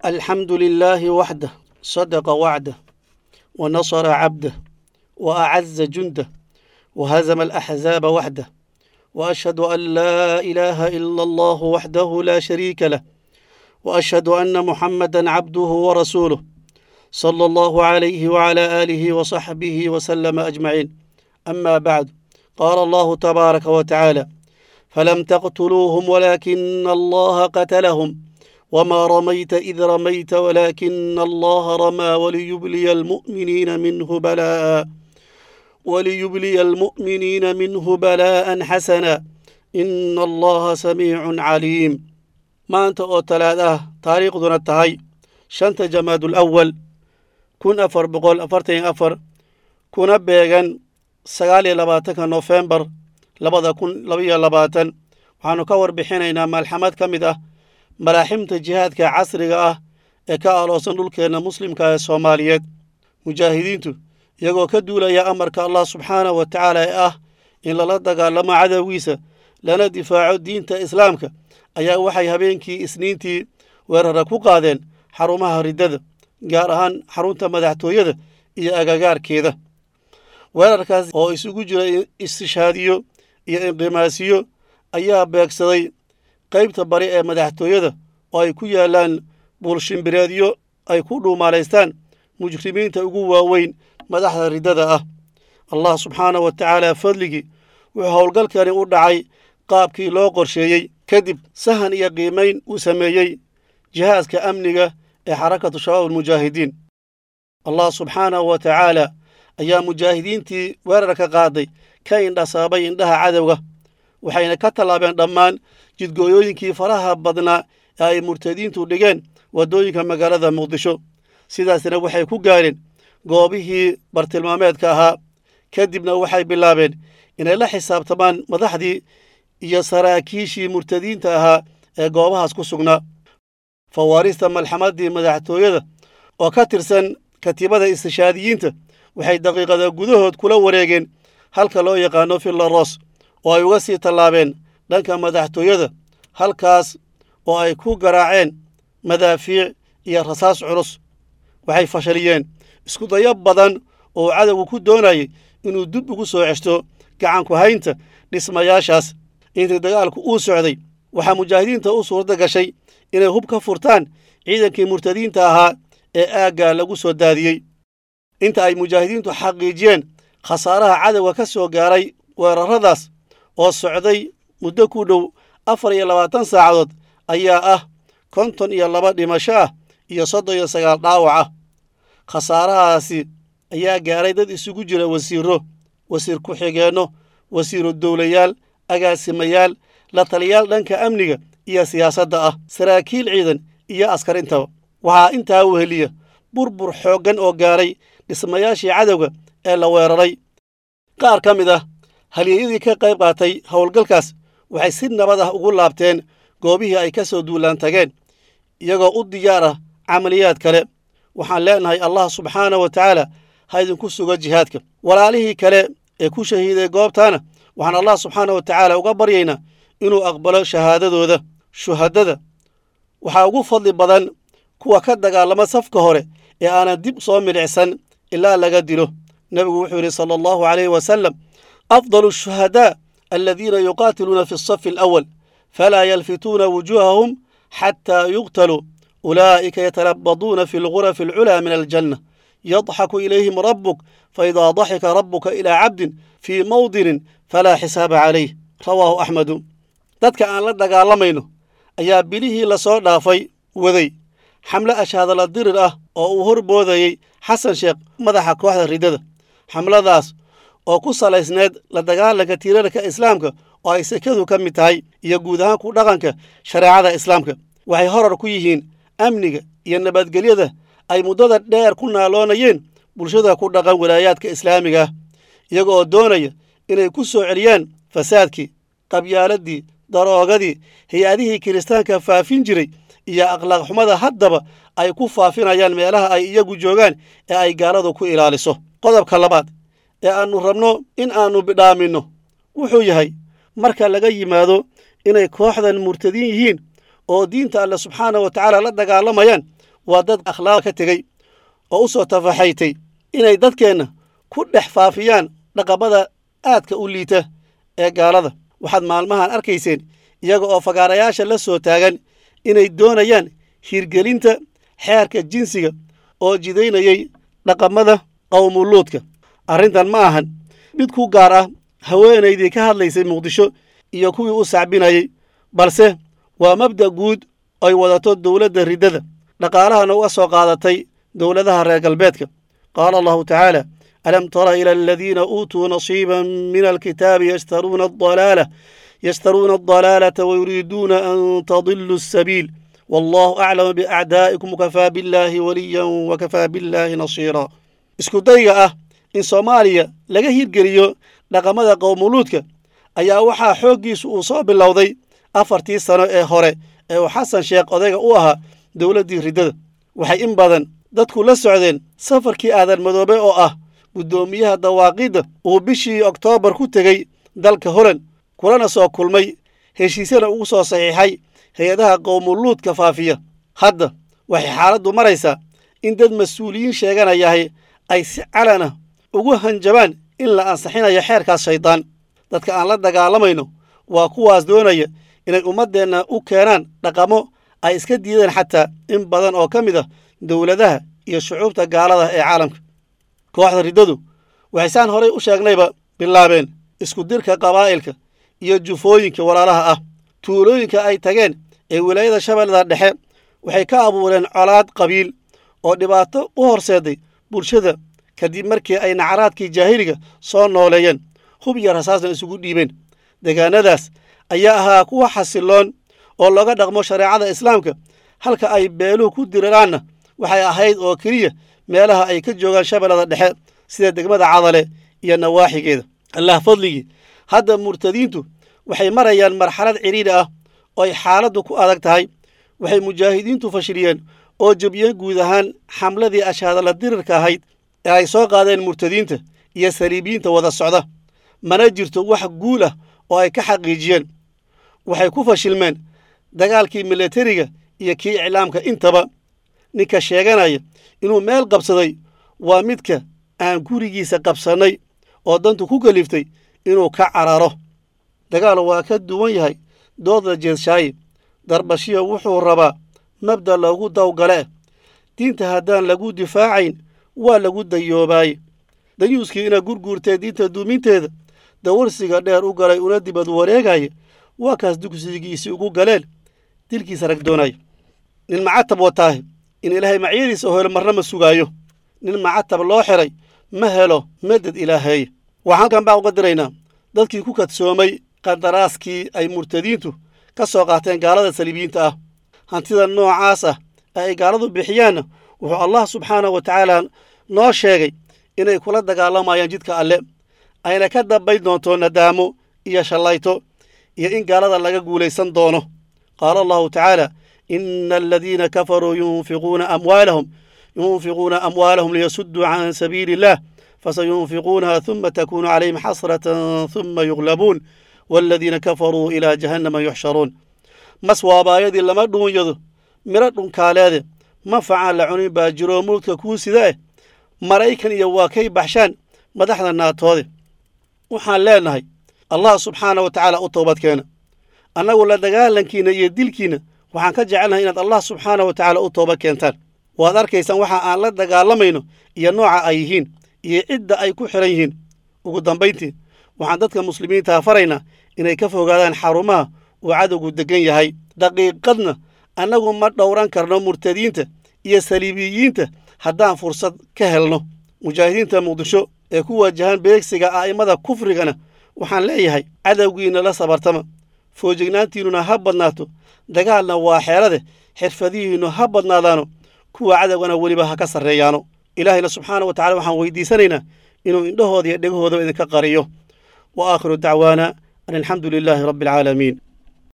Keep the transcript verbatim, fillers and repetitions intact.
الحمد لله وحده صدق وعده ونصر عبده وأعز جنده وهزم الأحزاب وحده وأشهد أن لا إله إلا الله وحده لا شريك له وأشهد أن محمدا عبده ورسوله صلى الله عليه وعلى آله وصحبه وسلم أجمعين. أما بعد، قال الله تبارك وتعالى: فلم تقتلوهم ولكن الله قتلهم وما رميت إذ رميت ولكن الله رمى وليبلي المؤمنين منه بلاء وليبلي المؤمنين منه بلاء حسنا إن الله سميع عليم. maanta oo talaad ah, taariikhduna tahay shanta Jamaadul Awal kun afar boqol afartan iyo afar, kuna beegan sagaal iyo labaatanka Nofembar labada kun labaiyo labaatan, waxaanu ka warbixinaynaa malxamad ka mid ah malaaximta jihaadka casriga ah ee ka aloosan dhulkeenna muslimka ee Soomaaliyeed. Mujaahidiintu iyagoo ka duulaya amarka Allah subxaanahu wa tacaala ee ah in lala dagaalamo cadowgiisa lana difaaco diinta islaamka ayaa waxay habeenkii Isniintii weerara ku qaadeen xarumaha riddada, gaar ahaan xarunta madaxtooyada iyo agagaarkeeda. Weerarkaas oo isugu jira istishaadiyo iyo inqimaasiyo ayaa beegsaday qaybta bari ee madaxtooyada oo ay ku yaalaan buulshimbireedyo ay ku dhuumaalaystaan mujrimiinta ugu waaweyn madaxda riddada ah. Allah subxaanahu wa tacaala fadligii, wuxuu howlgalkani u dhacay qaabkii loo qorsheeyey, kadib sahan iyo qiimayn uu sameeyey jihaaska amniga ee Xarakatu Shabaab Almujaahidiin. Allah subxaanahu wa tacaala ayaa mujaahidiintii weerarka qaaday ka indhasaabay indhaha cadowga, waxayna ka tallaabeen dhammaan jidgooyooyinkii faraha badnaa ee ay murtadiintu dhigeen waddooyinka magaalada Muqdisho. Sidaasna waxay ku gaareen goobihii bartilmaameedka ahaa. Kadibna waxay bilaabeen inay la xisaabtamaan madaxdii iyo saraakiishii murtadiinta ahaa ee goobahaas ku sugnaa. Fawaarista malxamadii madaxtooyada oo ka tirsan katiibada istishaadiyiinta waxay daqiiqada gudahood kula wareegeen halka loo yaqaano Villa Ros, oo ay uga sii tallaabeen dhanka madaxtooyada, halkaas oo ay ku garaaceen madaafiic iyo rasaas culus. Waxay fashaliyeen isku dayo badan oo cadowgu ku doonayay inuu dib ugu soo ceshto gacanku haynta dhismayaashaas. Intii dagaalku uu socday, waxaa mujaahidiinta u suurta gashay inay hub ka furtaan ciidankii murtadiinta ahaa ee aaggaa lagu soo daadiyey. Inta ay mujaahidiintu xaqiijiyeen khasaaraha cadowga ka soo gaaray weerarradaas oo socday muddo ku dhow afar iyo labaatan saacadood ayaa ah konton iyo laba dhimasho ah iyo soddon iyo sagaal dhaawac ah. Khasaarahaasi ayaa gaaray dad isugu jira wasiirro, wasiir ku-xigeenno, wasiiru dowlayaal, agaasimayaal, la taliyaal dhanka amniga iyo siyaasadda ah, saraakiil ciidan iyo askar intaba. Waxaa intaa weheliya burbur xooggan oo gaaray dhismayaashii cadowga ee la weeraray. Qaar ka mid ah halyeeyadii ka qayb qaatay howlgalkaas waxay si nabad ah ugu laabteen goobihii ay ka soo duulaan tageen, iyagoo u diyaar ah camaliyaad kale. Waxaan leenahay, Allah subxaana wa tacaala ha idinku sugo jihaadka. Walaalihii kale ee ku shahiiday goobtaana waxaan Allah subxaana wa tacaala uga baryaynaa inuu aqbalo shahaadadooda. Shuhadada waxaa ugu fadli badan kuwa ka dagaalama safka hore ee aanan dib soo milicsan ilaa laga dilo. Nebigu wuxuu yidhi sala Allahu calayhi wasalam: أفضل الشهداء الذين يقاتلون في الصف الأول فلا يلفتون وجوههم حتى يقتلوا، أولئك يتلبدون في الغرف العلى من الجنة، يضحك إليهم ربك، فإذا ضحك ربك إلى عبد في موطن فلا حساب عليه. رواه أحمد. Dadka aan la dagaalamayno ayaa bilihii lasoo dhaafay waday xamle ashaadala dirir ah oo uu horboodayey Xasan Sheekh, madaxa kooxda riddada. Xamladaas oo ku salaysneed la dagaalanka tiirarka islaamka oo ay sekadu ka mid tahay iyo guud ahaan ku dhaqanka shareecada islaamka. Waxay horar ku yihiin amniga iyo nabadgelyada ay muddada dheer ku naaloonayeen bulshada ku dhaqan walaayaadka islaamiga ah, iyaga oo doonaya inay ku soo celiyaan fasaadkii, qabyaaladii, daroogadii, hay-adihii kiristaanka faafin jiray iyo akhlaaq xumada haddaba ay ku faafinayaan meelaha ay iyagu joogaan ee ay gaaladu ku ilaaliso. Qodobka labaad ee aannu rabno in aannu bidhaaminno wuxuu yahay, marka laga yimaado inay kooxdan murtadiin yihiin oo diinta Alle subxaana wa tacaala la dagaalamayaan, Waa dad akhlaaq ka tegey oo u soo tafaxaytay inay dadkeenna ku dhex faafiyaan dhaqamada aadka u liita ee gaalada. Waxaad maalmahan arkayseen iyaga oo fagaarayaasha la soo taagan inay doonayaan hirgelinta xeerka jinsiga oo jidaynayay dhaqamada qowmuluudka. Arrintan ma ahan mid ku gaar ah haweenaydii ka hadlaysay Muqdisho iyo kuwii u sacbinayey, balse waa mabda' guud ay wadato dowladda riddada, dhaqaalahana uga soo qaadatay dowladaha reer galbeedka. Qaala Allahu tacaala: alam tara ila aladiina uutuu nasiiban min alkitaabi yashtaruuna adalaala yashtaruuna adalaalata wayuriiduuna an tadiluu asabiil wallahu aclamu biacdaa'ikum wakafaa billaahi waliyan wakafaa billaahi nasiira. Isku dayga ah in Soomaaliya laga hirgeliyo dhaqamada qowmuluudka ayaa waxaa xooggiisu uu soo bilowday afartii sano ee hore ee uu Xasan Sheekh odayga u ahaa dowladdii riddada. Waxay in badan dadku la socdeen safarkii Aadan Madoobe oo ah guddoomiyaha dawaaqidda uu bishii Oktoobar ku tegey dalka Holand, kulana soo kulmay heshiisyana ugu soo saxiixay hay-adaha qowmuluudka faafiya. Hadda waxay xaaladdu maraysaa in dad mas-uuliyiin sheeganayahay ay si calana ugu hanjabaan in la ansaxinayo xeerkaas shaydaan. Dadka aan la dagaalamayno waa kuwaas doonaya inay ummaddeenna u keenaan dhaqamo ay iska diideen xataa in badan oo ka mid ah dowladaha iyo shucuubta gaalada ee caalamka. Kooxda riddadu waxay saan horay u sheegnayba bilaabeen isku dirka qabaa'ilka iyo jufooyinka walaalaha ah. Tuulooyinka ay tageen ee wilaayada Shabeellada Dhexe waxay ka abuureen colaad qabiil oo dhibaato u horseeday bulshada kadib markii ay nacaraadkii jaahiliga soo nooleeyeen, hub iyo rasaasna isugu dhiibeen. Deegaanadaas ayaa ahaa kuwa xasiloon oo looga dhaqmo shareecada islaamka, halka ay beeluhu ku diriraanna waxay ahayd oo keliya meelaha ay ka joogaan Shabeellada Dhexe sida degmada Cadale iyo nawaaxigeeda. Allah fadligii, hadda murtadiintu waxay marayaan marxalad cidhiidhi ah oo ay xaaladdu ku adag tahay. Waxay mujaahidiintu fashiliyeen oo jebiyeen guud ahaan xamladii ashaadala dirirka ahayd ee ay soo qaadeen murtadiinta iyo saliibiyiinta wada socda. Mana jirto wax guul ah oo ay ka xaqiijiyeen. Waxay ku fashilmeen dagaalkii milatariga iyo kii iclaamka intaba. Ninka sheeganaya inuu meel qabsaday waa midka aan gurigiisa qabsannay oo dantu ku kaliftay inuu ka cararo. Dagaal waa ka duwan yahay doodda jeedshaaye. Darbashiyo wuxuu rabaa mabda loogu dawgale. Diinta haddaan lagu difaacayn waa lagu dayoobaay. Dayuuskii ina gurguurtee diinta duuminteeda dawarsiga dheer u galay una dibad wareegaya waa kaas dugsigiisii ugu galeen dilkiisa rag doonaya. Nin macatab wataahe in Ilaahay macyadiisa helo marna ma sugaayo. Nin macatab loo xiray ma helo madad Ilaahay. Waxaan halkan baa uga diraynaa dadkii ku kadsoomay qandaraaskii ay murtadiintu ka soo qaateen gaalada saliibiyiinta ah. Hantida noocaas ah ee ay gaaladu bixiyaanna wuxuu Allah subxaanahu wa tacaala noo sheegay inay kula dagaalamayaan jidka Alle, ayna ka dambayn doonto nadaamo iyo shallayto iyo in gaalada laga guulaysan doono. Qaala Allahu tacaala: ina aladiina kafaruu yunfiquuna amwaalahum yunfiquuna amwaalahum liyasudduu can sabiili illah fasayunfiquunaha huma takuunu calayhim xasratan huma yuglabuun waaladiina kafaruu ilaa jahannama yuxsharuun. Mas waabaayadii lama dhuunyado miro dhunkaaleede, ma facaan la cunin baa jiroo mulka kuu sida eh, Maraykan iyo waa kay baxshaan madaxda naatoode. Waxaan leenahay Allah subxaana wa tacaala u toobad keena. Annagu la dagaalankiina iyo dilkiina waxaan ka jecelnahay inaad Allah subxaana wa tacaala u toobad keentaan. Waad arkaysaan waxa aan la dagaalamayno iyo nooca ay yihiin iyo cidda ay ku xiran yihiin. Ugu dambayntii, waxaan dadka muslimiinta faraynaa inay ka fogaadaan xarumaha uu cadowgu degan yahay. Daqiiqadna annagu ma dhowran karno murtadiinta iyo saliibiyiinta haddaan fursad ka helno. Mujaahidiinta Muqdisho ee ku wajahan beegsiga a'immada kufrigana waxaan leeyahay cadowgiina la sabartama, foojignaantiinnuna ha badnaato, dagaalna waa xeelade, xirfadihiinnu ha badnaadaano, kuwa cadowgana weliba ha ka sarreeyaano. Ilaahayna subxaana wa tacala waxaan weydiisanaynaa inuu indhahooda iyo dhegahoodaba idinka qariyo. Wa aakhiru dacwaana an alxamdu lilaahi rabbi alcaalamiin.